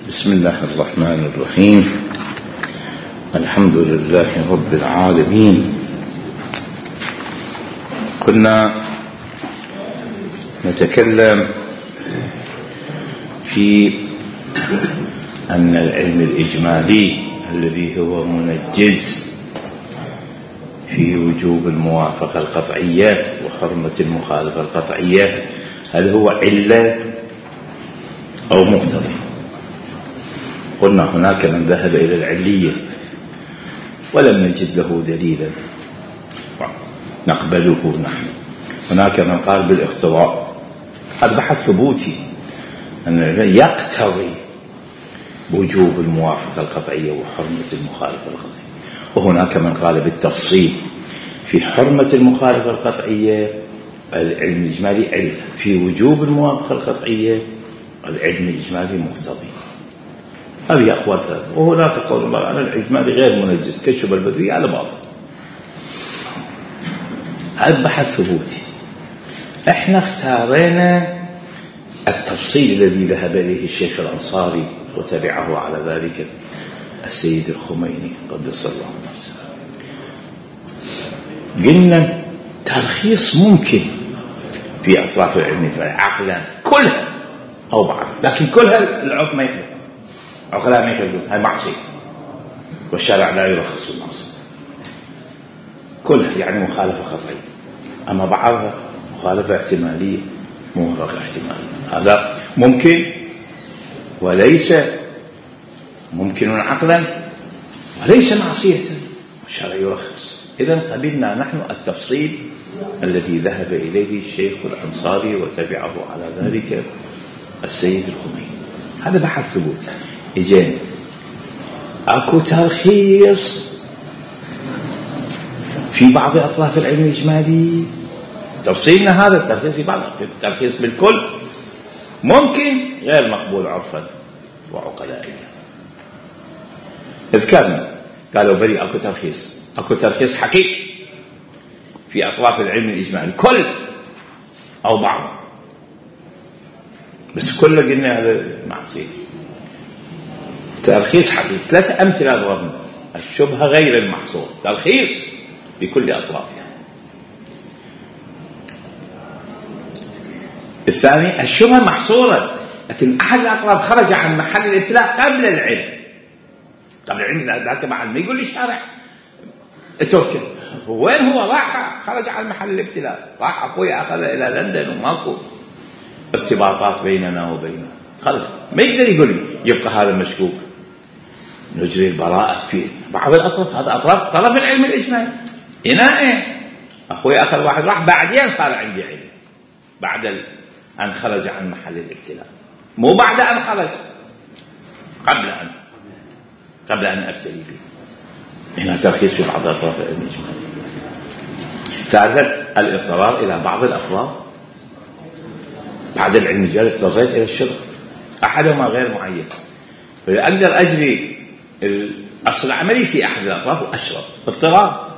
بسم الله الرحمن الرحيم. الحمد لله رب العالمين. كنا نتكلم في أن العلم الإجمالي الذي هو منجز في وجوب الموافقة القطعية وحرمة المخالفة القطعية، هل هو علة أو مقتضي؟ قلنا هناك من ذهب إلى العلية ولم نجد له دليلا نقبله نحن. هناك من قال بالاقتضاء، هذا بحث ثبوتي أن العلم يقتضي وجوب الموافقة القطعية وحرمة المخالفة القطعية. وهناك من قال بالتفصيل في حرمة المخالفة القطعية العلم الإجمالي علة، في وجوب الموافقة القطعية العلم الإجمالي مقتضي. هذه أقوال ثلاثة. وهناك قول الله أن الإجمالي غير منجز كشف البدوي على باطل. هذا بحث ثبوتي. احنا اختارنا التفصيل الذي ذهب إليه الشيخ الأنصاري وتبعه على ذلك السيد الخميني قدس الله نفسه. قلنا ترخيص ممكن في أطراف العلم عقلا كلها أو بعض، لكن كلها العقل ما يخلق، عقلاء ما يخلقون، هاي معصية والشرع لا يرخص المعصية كلها، يعني مخالفة قطعية. أما بعضها مخالفة احتمالية، موافقة احتمالية، هذا ممكن وليس ممكن عقلا وليس معصية والشرع يرخص. إذن قبلنا نحن التفصيل الذي ذهب إليه الشيخ الأنصاري وتبعه على ذلك السيد الخميني. هذا بحث ثبوت. إجاني أكو ترخيص في بعض أطراف العلم الإجمالي، تفصيلنا هذا الترخيص في بعض، الترخيص بالكل ممكن غير مقبول عرفا وعقلائيا. اذكرنا قالوا بري أكو ترخيص حقيقي في أطراف العلم الإجمالي كل أو بعض، بس كله قلنا هذا معصية. ترخيص حقيقي. 3 أمثلة ضربنا: الشبهة غير المحصور، ترخيص بكل أطرافها. الثاني الشبهة محصورة لكن أحد الأطراف خرج عن محل الابتلاء قبل العلم. ذاك مع ما يقول لي الشارع اتركه، وين هو؟ راح خرج عن محل الابتلاء، راح أخوي أخذ إلى لندن وماكو ارتباطات بيننا وبينه، خرج ما يقدر يقول لي يبقى هذا مشكوك، نجري البراءة في بعض الأطراف. هذا أطراف طرف العلم الإجمالي. هنا أخوي أخذ واحد راح بعدين صار عندي علم، بعد أن خرج عن محل الابتلاء، مو بعد أن خرج، قبل أن أبتلي به. هنا ترخيص في بعض أطراف العلم الإجمالي. ثالثا الاضطرار إلى بعض الأفراد. بعد العلم الإجمالي اضطريت إلى الشرك، أحدهما غير معين، فأقدر أجري الأصل العملي في أحد الأطراف وأشرب اضطرار.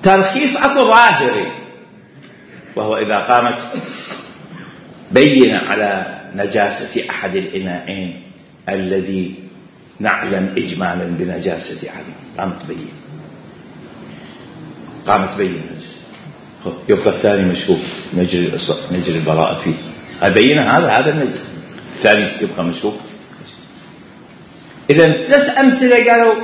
ترخيص أكو ظاهري، وهو إذا قامت بينة على نجاسة أحد الإناءين الذي نعلم إجمالا بنجاسة أحد، قامت بينة يبقى الثاني مشكوك، نجري البراءة فيه. البينة هذا النجس، الثاني يبقى مشكوك. إذن 3 أمثلة قالوا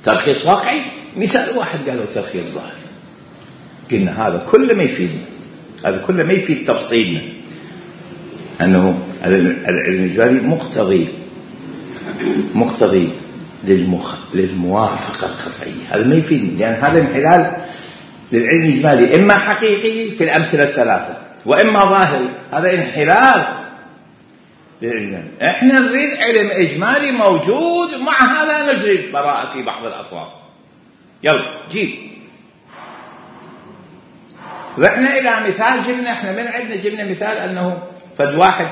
ترخيص واقعي، مثال واحد قالوا ترخيص ظاهري. قلنا هذا كله ما يفيد تفصيلنا أنه العلم الإجمالي مقتضي للموافقة القطعية. هذا ما يفيدني، لأن هذا انحلال للعلم الإجمالي، إما حقيقي في الأمثلة 3 وإما ظاهري. هذا انحلال للعلم. احنا نريد علم إجمالي موجود، مع هذا نجري البراءة في بعض الأطراف. يلا جيب. رحنا إلى مثال جبنا، احنا من عندنا جبنا مثال أنه فد واحد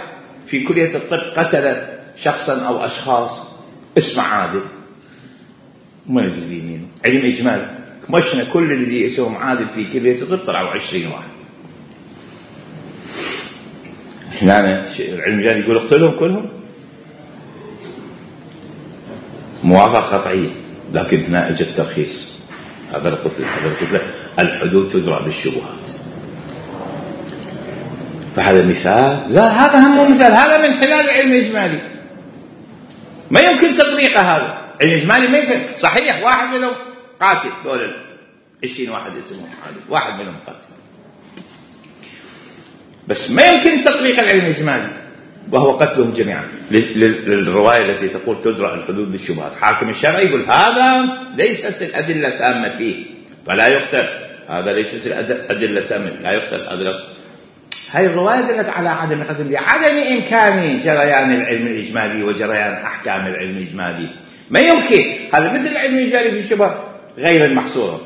في كلية الطب قتل شخصا أو أشخاص اسمه عادل، ما ندري مين، علم إجمالي. مشنا كل اللي اسمهم عادل في كلية الطب طلعوا 20 واحد. هنا العلم الإجمالي يقول اقتلهم كلهم، موافقة قطعية، لكن هنا اجى الترخيص، هذا القتل الحدود تدرى بالشبهات. فهذا مثال، لا هذا هم مثال، هذا من خلال العلم الإجمالي، ما يمكن تطبيقه. هذا العلم الإجمالي ما يمكن. صحيح واحد منهم قاتل، دول 20 واحد اسمهم حادث، واحد منهم قاتل، بس ما يمكن تطبيق العلم الإجمالي وهو قتلهم جميعا. للرواية التي تقول تدرى الحدود بالشبهات، حاكم الشرع يقول هذا ليست الأدلة تامة فيه فلا يقتل، هذا ليست الأدلة تامة لا يقتل. هاي الرواية دلت على عدم القتل، لعدم إمكان جريان العلم الإجمالي وجريان أحكام العلم الإجمالي. ما يمكن. هذا مثل العلم الإجمالي في الشبه غير المحصورة.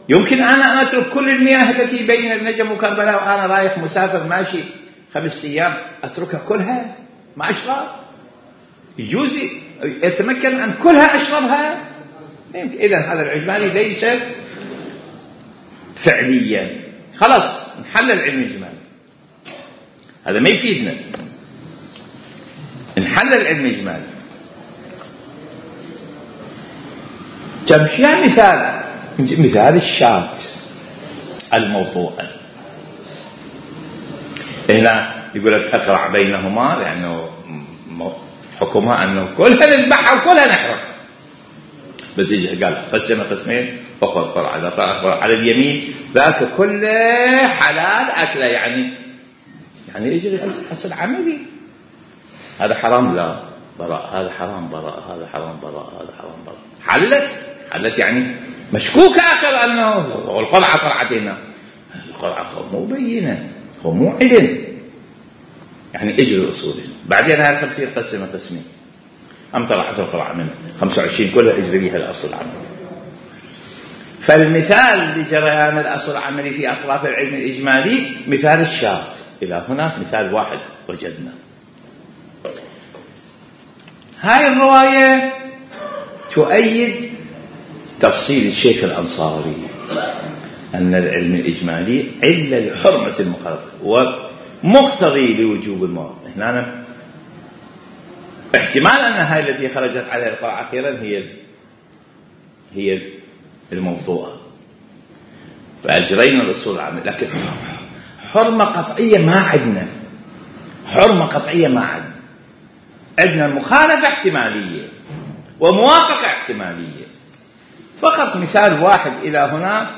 يمكن أنا أترك كل المياه التي بين النجم وكربلاء وأنا رايح مسافر ماشي 5 أيام، أتركها كلها ما أشرب؟ يجوز يتمكن أن كلها أشربها؟ يمكن. إذن هذا الإجمالي ليس فعليا. خلاص نحل العلم الإجمالي، هذا ما يفيدنا. نحل العلم الإجمالي. جمشيها مثال الشاة الموضوعة. هنا يقول لك أقرع بينهما، لأنه حكمها أنه كلها نذبحها وكلها نحرقها. بس يجي قال قسم قسمين، أخر قرع على اليمين، ذاك كله حلال أكله، يعني يجري حسن عملي. هذا حرام لا براء، هذا حرام براء، هذا حرام براء، هذا حرام براء. حلت يعني مشكوك آخر أنه والقرعة قرعتنا، القرعة مو بينة، هو مو علم، يعني اجري أصوله. بعدين هذا 50 قسمين، طلعت القرعة منه 25 كلها اجري بها الأصل العملي. فالمثال لجريان الأصل العملي في أطراف العلم الإجمالي مثال الشاة. إلى هنا مثال واحد وجدنا. هاي الرواية تؤيد تفصيل الشيخ الأنصاري أن العلم الإجمالي علة لحرمة المخالفة ومقتضي لوجوب المواطن. هنا احتمال أن هاي التي خرجت عليها القرعة أخيرا هي الموضوعة، فأجرينا الأصول العامة. لكن حرمة قطعية ما عندنا، حرمة قطعية ما عندنا. عندنا مخالفة احتمالية وموافقة احتمالية. فقط مثال واحد إلى هنا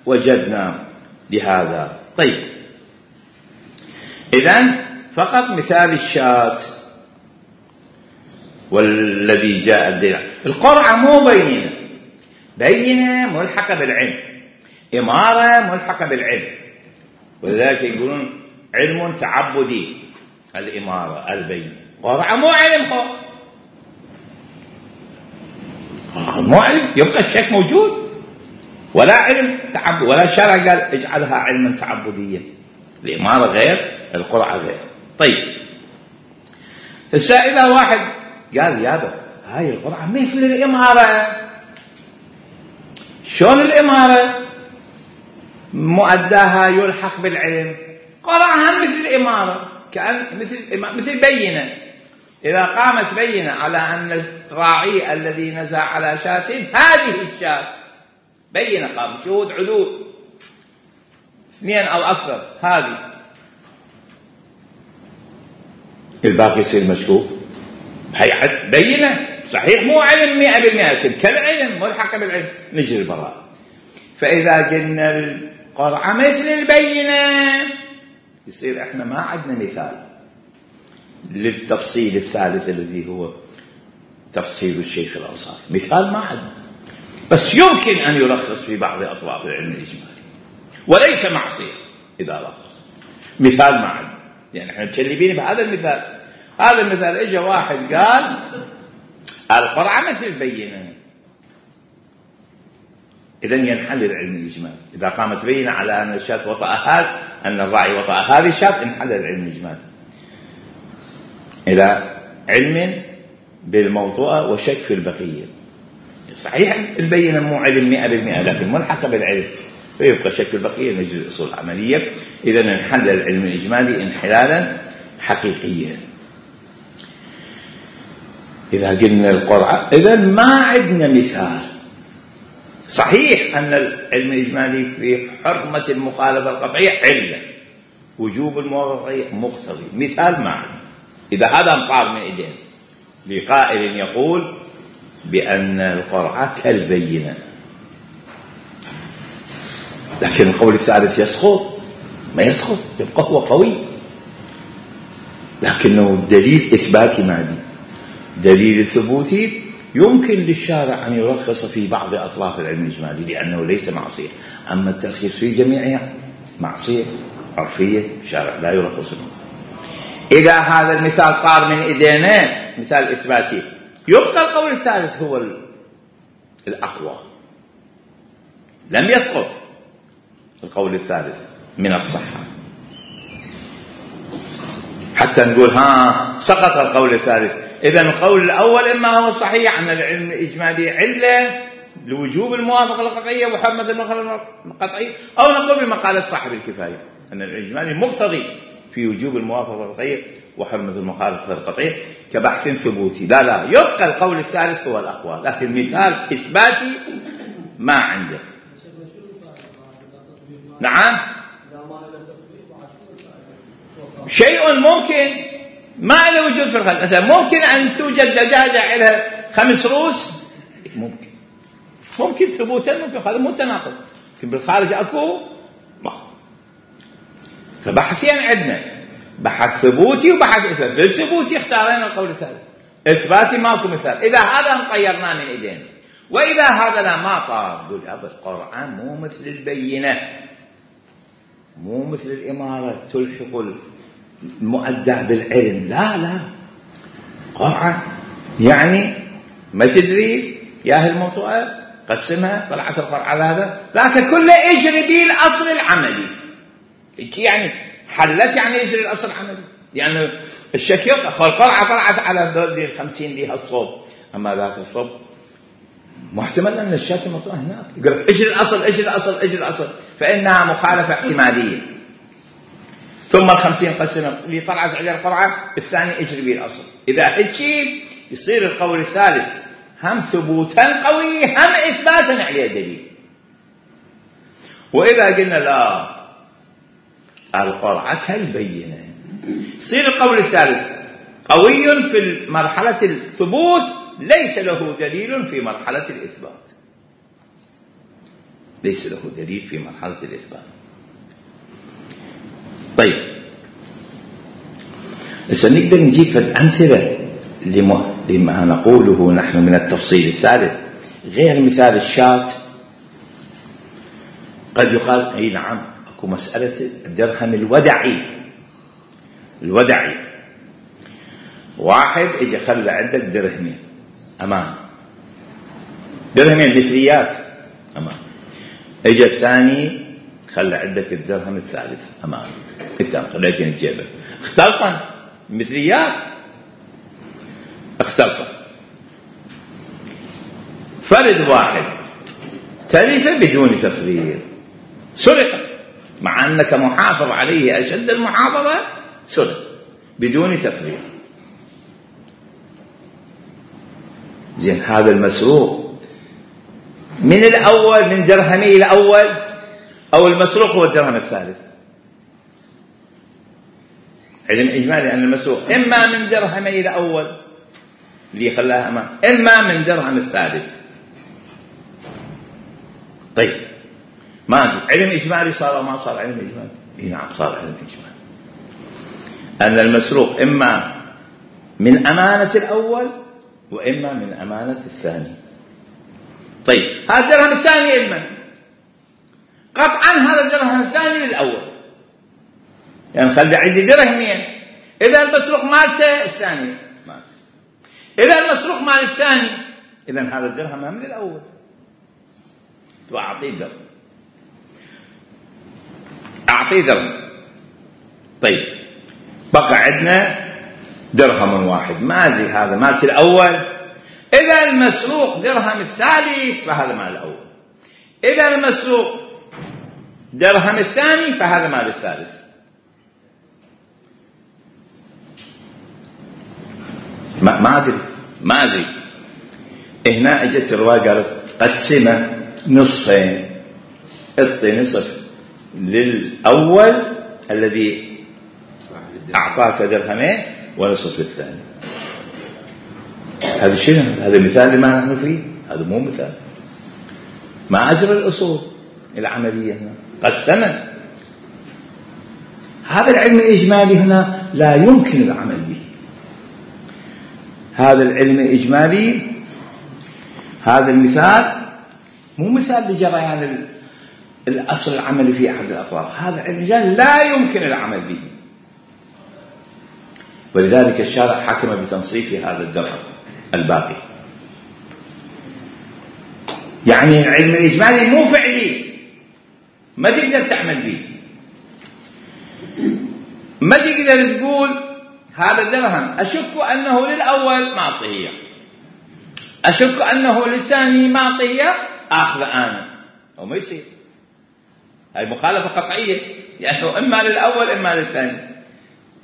وجدنا لهذا. طيب إذن فقط مثال الشاة والذي جاء الدليل. القرعة مو بينة ملحقة بالعلم، إمارة ملحقة بالعلم، ولذلك يقولون علم تعبدي الإمارة البينة. قرعة مو علم، مو علم، يبقى الشك موجود، ولا علم تعبد، ولا شرع قال اجعلها علما تعبديا. الإمارة غير، القرعة غير. طيب هسه إذا واحد قال يابا هاي القرعة مثل الإمارة، شلون الإمارة مؤداها يلحق بالعلم؟ قرعها مثل الإمارة، كأن مثل بينة. إذا قامت بينة على أن الراعي الذي نزع على شاة هذه الشاة بينة، قام شهود عدول 2 أو أكثر، هذه الباقي يصير مشكوك. هي بينة صحيح مو علم 100%، لكن كالعلم ملحق بالعلم نجري البراءة. فإذا قلنا القرعة مثل البينة يصير احنا ما عندنا مثال للتفصيل الثالث الذي هو تفصيل الشيخ الأنصاري. مثال ما عندنا، بس يمكن أن يلخص في بعض أطراف العلم الإجمالي وليس معصية إذا لخص. مثال ما عندنا، يعني احنا متشلبين بهذا المثال. هذا المثال اجى واحد قال القرعة مثل البينة، إذن ينحل العلم الإجمالي. إذا قامت بينة على أن الشاة وطأ أن الراعي وطأ هذه الشاة انحل العلم الإجمالي. إلى علم بالموضوع وشك في البقية. صحيح البينة مو علم 100%، لكن ملحقة بالعلم، فيبقى شك في البقية نجري الأصول العملية. إذن انحل العلم الإجمالي انحلالا حقيقية. إذا قلنا القرعة إذا ما عندنا مثال. صحيح أن العلم الإجمالي في حرمة المخالفة القطعية علة، وجوب الموافقة مقتضي، مثال ما عندنا. إذا هذا انطار من إيدينا لقائل يقول بأن القرعة كالبينة، لكن القول الثالث يسقط، ما يسقط، يبقى هو قوي، لكنه دليل إثباتي مادي. دليل الثبوتي يمكن للشارع أن يرخص في بعض أطراف العلم الإجمالي لأنه ليس معصية، أما الترخيص في جميعها معصية عرفية، الشارع لا يرخص منه. إذا هذا المثال طار من إيدينا مثال إثباتي، يبقى القول الثالث هو الأقوى، لم يسقط القول الثالث من الصحة حتى نقول سقط القول الثالث. إذا القول الأول إما هو الصحيح أن العلم الإجمالي علة لوجوب الموافقة القطعية وحرمة المخالفة القطعية، أو نقول بما قال صاحب الكفاية أن الإجمالي مقتضي في وجوب الموافقة القطعية وحرمة المخالفة القطعية كبحث ثبوتي. لا يبقى القول الثالث هو الأقوى، لكن مثال إثباتي ما عنده. نعم، شيء ممكن ما له وجود في الخلق. مثلا ممكن أن توجد دجاجة لها 5 رؤوس، ممكن ثبوتا، ممكن هذا متناقض، لكن بالخارج أكو ما. فبحثين عندنا بحث ثبوتي وبحث إثباتي. بالثبوتي اختارنا القول الثالث، إثباتي ماكو مثال. إذا هذا انطيرنا من إيدينا، وإذا هذا لا ما طار، قول أبا القرآن مو مثل البينة، مو مثل الإمارة تلحق المؤدى بالعلم. لا قرعة يعني ما تدري ياهي الموضوع قسمها طلعت القرعة على هذا ذاك كله يجري به الأصل العملي. يعني حلت يعني يجري الأصل العملي، يعني الشكيق فالقرعة طلعت على دول 50 لها الصوب، أما ذاك الصوب محتمل أن الشاة الموضوع هناك يقول لك اجري الأصل فإنها مخالفة احتمالية. ثم 50 قسمة اللي طلعت عليه القرعة الثاني اجري به الأصل. إذا هيك يصير القول الثالث هم ثبوتا قوي هم إثباتا عليه دليل. وإذا قلنا لا القرعة كالبينة، يصير القول الثالث قوي في مرحلة الثبوت ليس له دليل في مرحلة الإثبات، ليس له دليل في مرحلة الإثبات. طيب نقدر نجيب الأمثلة لما نقوله نحن من التفصيل الثالث غير مثال الشاة. قد يقال أي نعم أكو مسألة الدرهم الودعي. واحد إجا خلى عندك درهمين أمام، درهمين مثليات أمام، إجا الثاني خلى عندك الدرهم الثالث أمام، أنت خليتين الجيبة اختلطا مثليات، اختلطا. فرد واحد تلف بدون تفريط، سرق مع أنك محافظ عليه أشد المحافظة، سرق بدون تفريط. زين هذا المسروق من الأول من درهمي الأول أو المسروق هو الدرهم الثالث؟ علم إجمالي أن المسروق إما من درهمي الأول اللي خلاها أمام، إما من درهم الثالث. طيب ما أدري علم إجمالي صار أو ما صار علم إجمالي؟ نعم صار علم إجمالي، أن المسروق إما من أمانة الأول وإما من أمانة الثاني. طيب هذا الدرهم الثاني إلما قطعا هذا الدرهم الثاني للأول، يعني خلي عندي درهمين، إذا المسروق مالته الثاني مات، إذا المسروق مال الثاني إذا هذا الدرهم من الأول أعطيه درهم. طيب بقى عندنا درهم واحد، ما أدري هذا مالت الأول، إذا المسروق درهم الثالث فهذا مال الأول، إذا المسروق درهم الثاني فهذا مال الثالث. ما أدري هنا اجت الرواية قالت قسمه نصفين، اعطي نصف للأول الذي أعطاك درهمين ونصف للثاني. هذا شنو؟ هذا مثال لما نحن فيه؟ هذا مو مثال، ما أجرى الأصول العملية هنا، قسمه. هذا العلم الإجمالي هنا لا يمكن العمل به. هذا العلم الإجمالي، هذا المثال مو مثال لجريان الأصل العملي في أحد الأطراف، هذا العلم الإجمالي لا يمكن العمل به. ولذلك الشارع حكم بتنصيف هذا الدرهم الباقي. يعني العلم الإجمالي مو فعلي، ما تقدر تعمل به، ما تقدر تقول هذا الدرهم أشك أنه للأول معطية، أشك أنه للثاني معطية، أخذ أنا، أو ما يصير. هاي مخالفة قطعية، يعني إما للأول إما للثاني.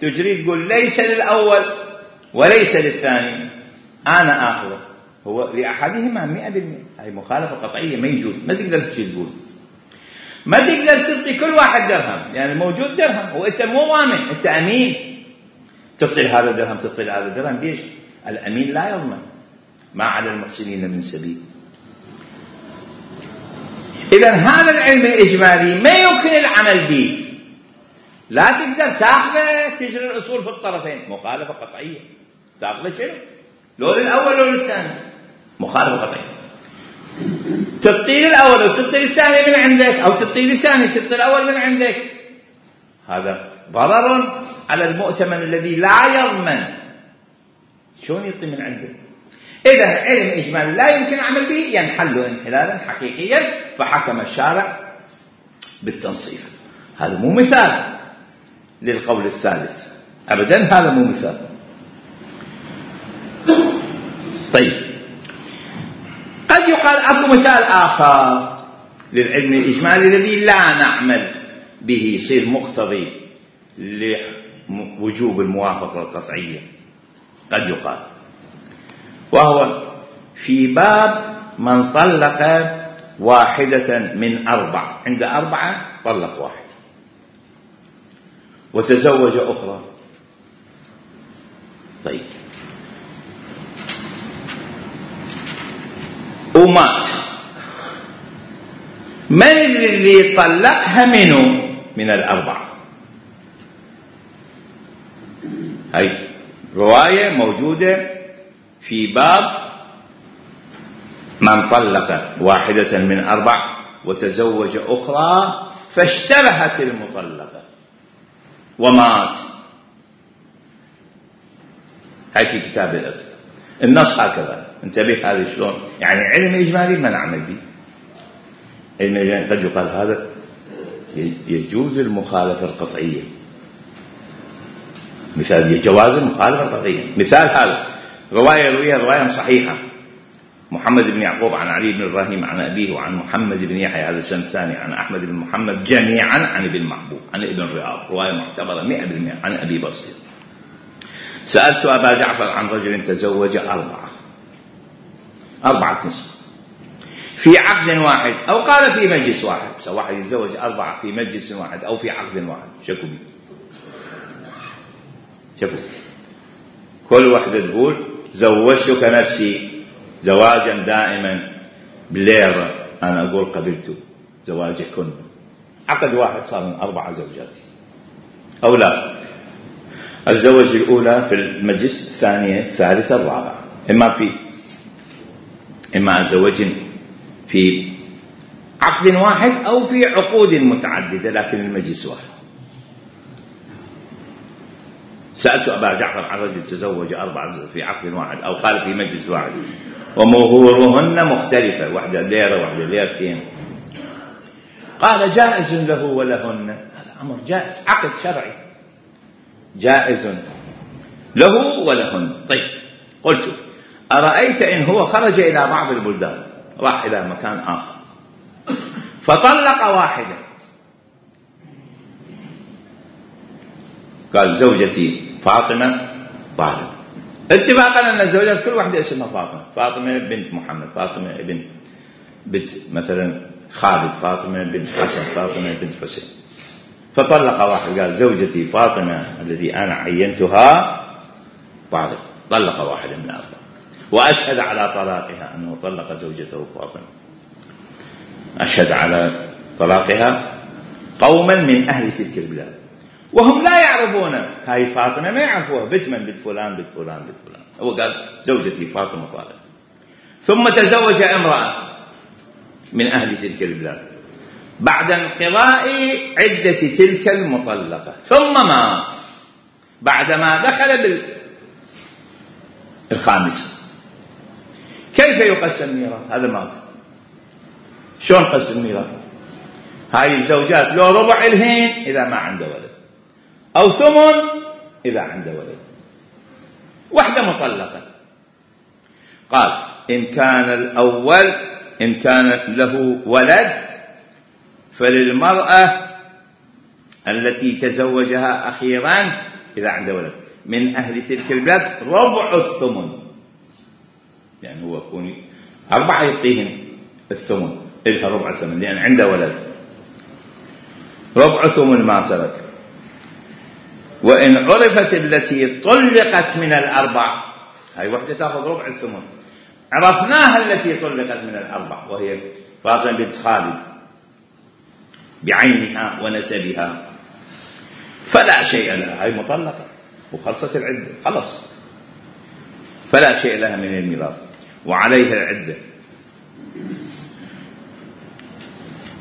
تجري تقول ليس للأول وليس للثاني، أنا أخذه، هو لأحدهما 100%. هاي مخالفة قطعية، ما يجوز، ما تقدر تقول، ما تقدر تعطي كل واحد درهم، يعني موجود درهم وأنت مو ضامن، أنت أمين، تعطي هذا الدرهم تعطي هذا الدرهم، ليش؟ الأمين لا يضمن، ما على المحسنين من سبيل. إذن هذا العلم الإجمالي ما يمكن العمل به، لا تقدر تأخذه تجري الأصول في الطرفين، مخالفة قطعية. تأخذه شنو؟ لو للأول لو للثاني، مخالفة قطعية. تعطي للأول وتعطي للثاني من عندك، أو تعطي للثاني تعطي الأول من عندك، هذا ضرر على المؤتمن الذي لا يضمن، شلون يعطي من عنده؟ إذا علم إجمالي لا يمكن العمل به، ينحل انحلالا حقيقيا، فحكم الشارع بالتنصيف. هذا مو مثال للقول الثالث أبدا، هذا مو مثال. طيب، قد يقال أكو مثال آخر للعلم الإجمالي الذي لا نعمل به، يصير مقتضي لوجوب الموافقة القطعية، قد يقال، وهو في باب من طلق واحدة من 4، عند 4 طلق واحد وتزوج أخرى. طيب، ومات، من اللي طلقها منه من 4؟ هاي رواية موجودة في باب من طلق واحدة من 4 وتزوج أخرى فاشتبهت المطلقة ومات. هاي في كتاب الإرث، النص هكذا، انتبه هذا شلون. يعني علم إجمالي ما نعمل به، علم إجمالي قد يقال هذا يجوز المخالفة القطعية، مثال جواز المخالفة القطعية. مثال هذا رواية رواية صحيحة، محمد بن يعقوب عن علي بن إبراهيم عن أبيه وعن محمد بن يحيى هذا السنة الثاني عن أحمد بن محمد جميعا عن ابن محبوب عن ابن رياض، رواية معتبرة 100% عن أبي بصير. سألت أبا جعفر عن رجل تزوج 4 نساء في عقد واحد، أو قال في مجلس واحد، واحد يتزوج 4 في مجلس واحد أو في عقد واحد، شكو كل واحدة تقول زوجتك نفسي زواجا دائما بليرة، أنا أقول قبلت زواجكن. عقد واحد صار من 4 زوجات، أو لا، الزوج الأولى في المجلس، الثانية الثالثة الرابعة، إما الزوج في عقد واحد أو في عقود متعددة لكن المجلس واحد. سألت أبا جعفر عن رجل تزوج 4 في عقد واحد أو قال في مجلس واحد ومهورهن مختلفة، واحدة ليرة واحدة ليرتين، قال جائز له ولهن. هذا أمر جائز، عقد شرعي جائز له ولهن. طيب، قلت أرأيت إن هو خرج إلى بعض البلدان، راح إلى مكان آخر فطلق واحدة، قال زوجتي فاطمة طالق، اتفاقا أن الزوجات كل واحدة اسمها فاطمة، فاطمة بنت محمد، فاطمة بنت مثلا خالد، فاطمة بنت حسن، فاطمة بنت حسين. فطلق واحد قال زوجتي فاطمة الذي أنا عينتها طلق واحد من الأربعة، وأشهد على طلاقها أنه طلق زوجته فاطمة. أشهد على طلاقها قوما من أهل تلك البلاد وهم لا يعرفون هاي فاطمة، ما يعرفوها، بنت فلان. هو قال زوجتي فاطمة طالق. ثم تزوج امرأة من أهل تلك البلاد بعد انقضاء عدة تلك المطلقة، ثم مات بعدما دخل بالخامس. كيف يقسم ميراث؟ هذا مات، شلون قسم ميراث؟ هاي الزوجات لو ربع الهين إذا ما عنده ولد، أو ثمن إذا عنده ولد. واحدة مطلقة قال إن كان له ولد فللمرأة التي تزوجها أخيرا إذا عنده ولد من أهل تلك البلاد ربع الثمن، يعني هو يكون 4 يعطيهم الثمن، إلها ربع الثمن لأن عنده ولد، ربع ثمن ما ترك. وإن عرفت التي طلقت من الأربع، هاي وحدة تأخذ ربع الثمن، عرفناها التي طلقت من الأربع وهي فاطمة بنت خالد بعينها ونسبها، فلا شيء لها، هاي مطلقة وخلصت العدة خلص، فلا شيء لها من الميراث وعليها العدة،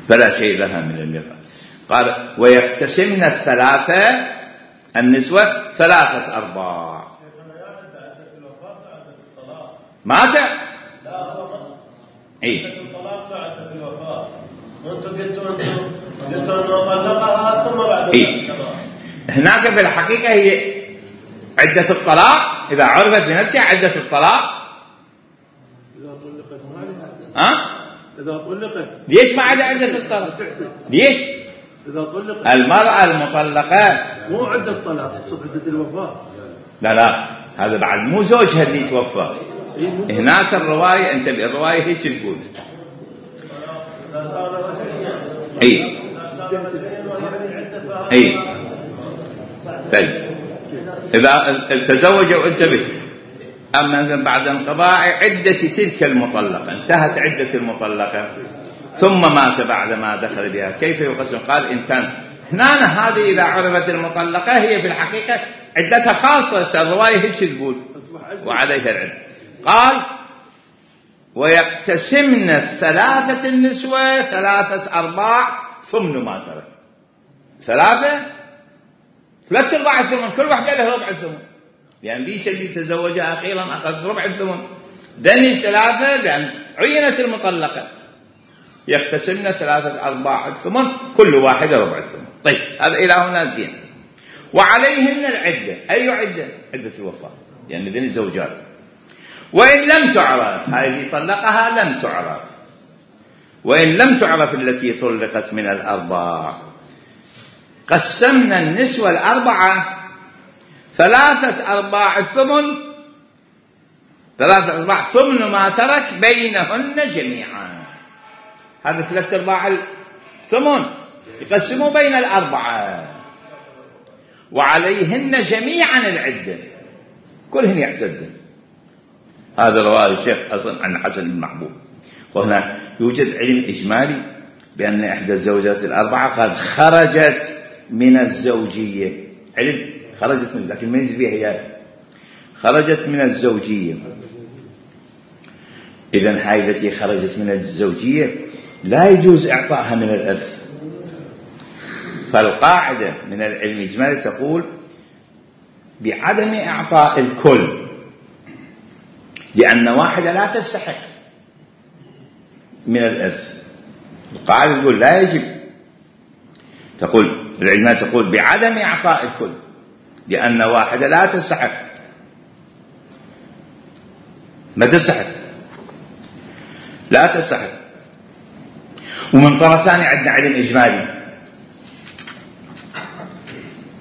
فلا شيء لها من الميراث. قال ويقتسمن الثلاثة النسوة 3 أرباع. ماذا؟ إيه؟ الطلاق بعد الوفاة، وأنتم قلتوا أنه طلقها ثم بعد الطلاق. هناك في الحقيقة هي عدة الطلاق إذا عرفت بنفسها عدة الطلاق. إذا طلقت إذا طلقت ليش ما عدا عدة الطلاق؟ ليش؟ إذا طلقت المرأة المطلقة مو عدة الطلاق، عدة الوفاة. لا هذا بعد مو زوجها اللي توفى. هناك الرواية، أنت الرواية هيك تقول. طيب إذا تزوج وانتبه. أما بعد انقضاء عدة تلك المطلقة، انتهت عدة المطلقة ثم مات بعد ما دخل بها، كيف يقسم؟ قال إن كان هنا هذه إذا عرفت المطلقة هي في الحقيقة عدتها خاصة، الرواية هيك تقول وعليها العدة. قال ويقتسمن الثلاثة النسوة 3 أرباع ثمن ما ترك. 3 أرباع الثمن، كل واحدة لها ربع الثمن، يعني ذيك اللي تزوجها أخيرا أخذت ربع الثمن، دني 3 لأن عينت المطلقة، يقتسمن 3 أرباع الثمن، كل واحدة ربع الثمن. طيب هذا إلى هنا زين. وعليهن العدة، أي عدة؟ عدة الوفاة، يعني ذني الزوجات. وإن لم تعرف، هاي اللي طلقها لم تعرف، وإن لم تعرف التي طلقت من الأرباع قسمنا النسوة 4 3 أرباع الثمن، 3 أرباع ثمن ما ترك بينهن جميعا. هذا 3 أرباع الثمن يقسموا بين الأربعة، وعليهن جميعا العدة، كلهن يعتدن. هذا رواه الشيخ حسن عن حسن بن محبوب. وهنا يوجد علم إجمالي بأن إحدى الزوجات ال4 قد خرجت من الزوجية، علم خرجت من، لكن ما يجي فيها هي خرجت من الزوجية. إذن هاي التي خرجت من الزوجية لا يجوز إعطائها من الإرث. فالقاعدة من العلم الإجمالي تقول بعدم إعطاء الكل، لأن واحدة لا تستحق من الإرث. القاعدة تقول لا يجب، تقول العلماء تقول بعدم إعطاء الكل، لأن واحدة لا تستحق، ما تستحق، لا تستحق. ومن طرف ثاني عندنا علم إجمالي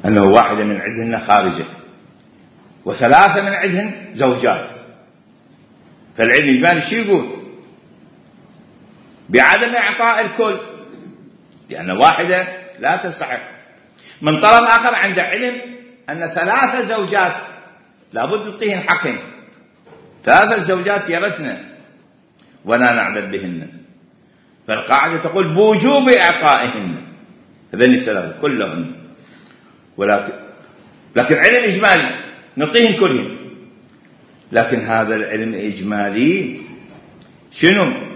أنه واحدة من عندنا خارجة، وثلاثة من عندهن زوجات، فالعلم الإجمالي شو يقول؟ بعدم إعطاء الكل، لأن واحدة لا تستحق. من طرف آخر عنده علم أن 3 زوجات لابد تعطيهن حقهن، 3 زوجات يرثن ولا نعلم بهن، فالقاعدة تقول بوجوب إعطائهن هذين الثلاثة كلهن. لكن علم إجمالي نعطيهن كلهن، لكن هذا العلم الإجمالي شنو؟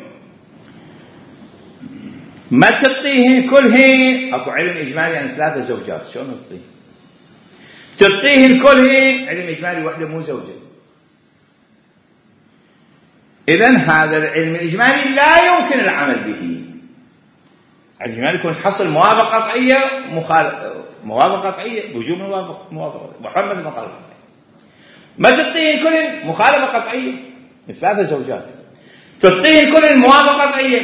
ما تعطيهن كلهن. اكو علم إجمالي يعني 3 زوجات، شلون تعطيهن كلهن؟ علم إجمالي وحده مو زوجة. إذن هذا العلم الإجمالي لا يمكن العمل به. العلم الإجمالي يكون تحصل موافقة قطعية موافقة قطعية، وجوب موافقة محمد المخالفة. ما تعطيهن كلهن مخالفة قطعية من 3 زوجات، تعطيهن كلهن موافقة قطعية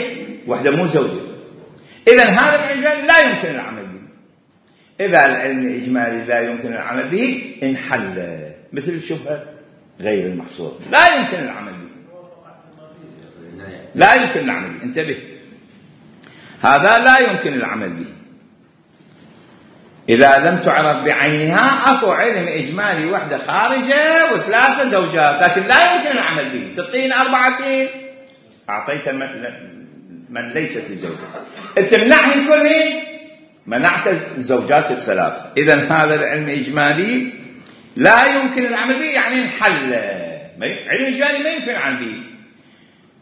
وحده مو زوجة. إذن هذا العلم الإجمالي لا يمكن العمل به. إذا العلم الإجمالي لا يمكن العمل به انحل مثل الشبهة غير المحصور، لا يمكن العمل به، لا يمكن العمل به. انتبه، هذا لا يمكن العمل به إذا لم تعرف بعينها. أكو علم إجمالي وحدة خارجة و3 زوجات، لكن لا يمكن العمل به. تعطين 4 أعطيت من ليست لزوجة، تمنعهن كلهن منعت الزوجات ال3. إذن هذا العلم الإجمالي لا يمكن العمل به، يعني انحل. علم إجمالي ما يمكن العمل به.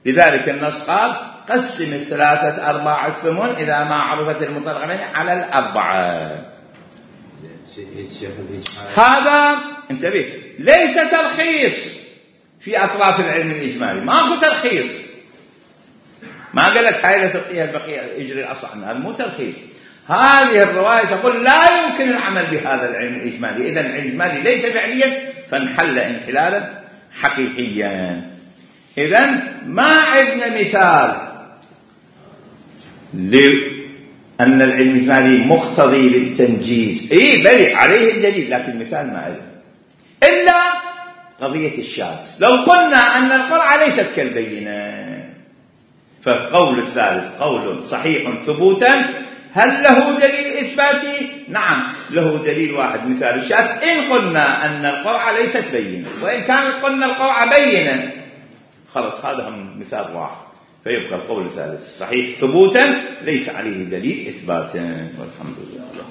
لذلك النص قال قسم 3/4 الثمن إذا ما عرفت المطلقين على 4. هذا انتبه ليس ترخيص في أطراف العلم الإجمالي، ماكو ترخيص. ما قال لك هاي لا تعطيها البقية يجري الأصل عنها، مو ترخيص. هذه الرواية تقول لا يمكن العمل بهذا العلم الإجمالي. إذن العلم الإجمالي ليس فعليا، فانحل انحلالا حقيقيا. إذن ما عندنا مثال لأن العلم الإجمالي مقتضي للتنجيز. بلي عليه الدليل، لكن مثال ما عليه إلا قضية الشاذ. لو قلنا أن القرعة ليست كالبينة، فالقول الثالث قول صحيح ثبوتا. هل له دليل إثباتي؟ نعم له دليل واحد، مثال الشاذ. إن قلنا أن القرعة ليست بينة، وإن كان قلنا القرعة بينة، خلص هذا مثال واحد، فيبقى القول الثالث صحيح ثبوتا ليس عليه دليل إثباتا. والحمد لله.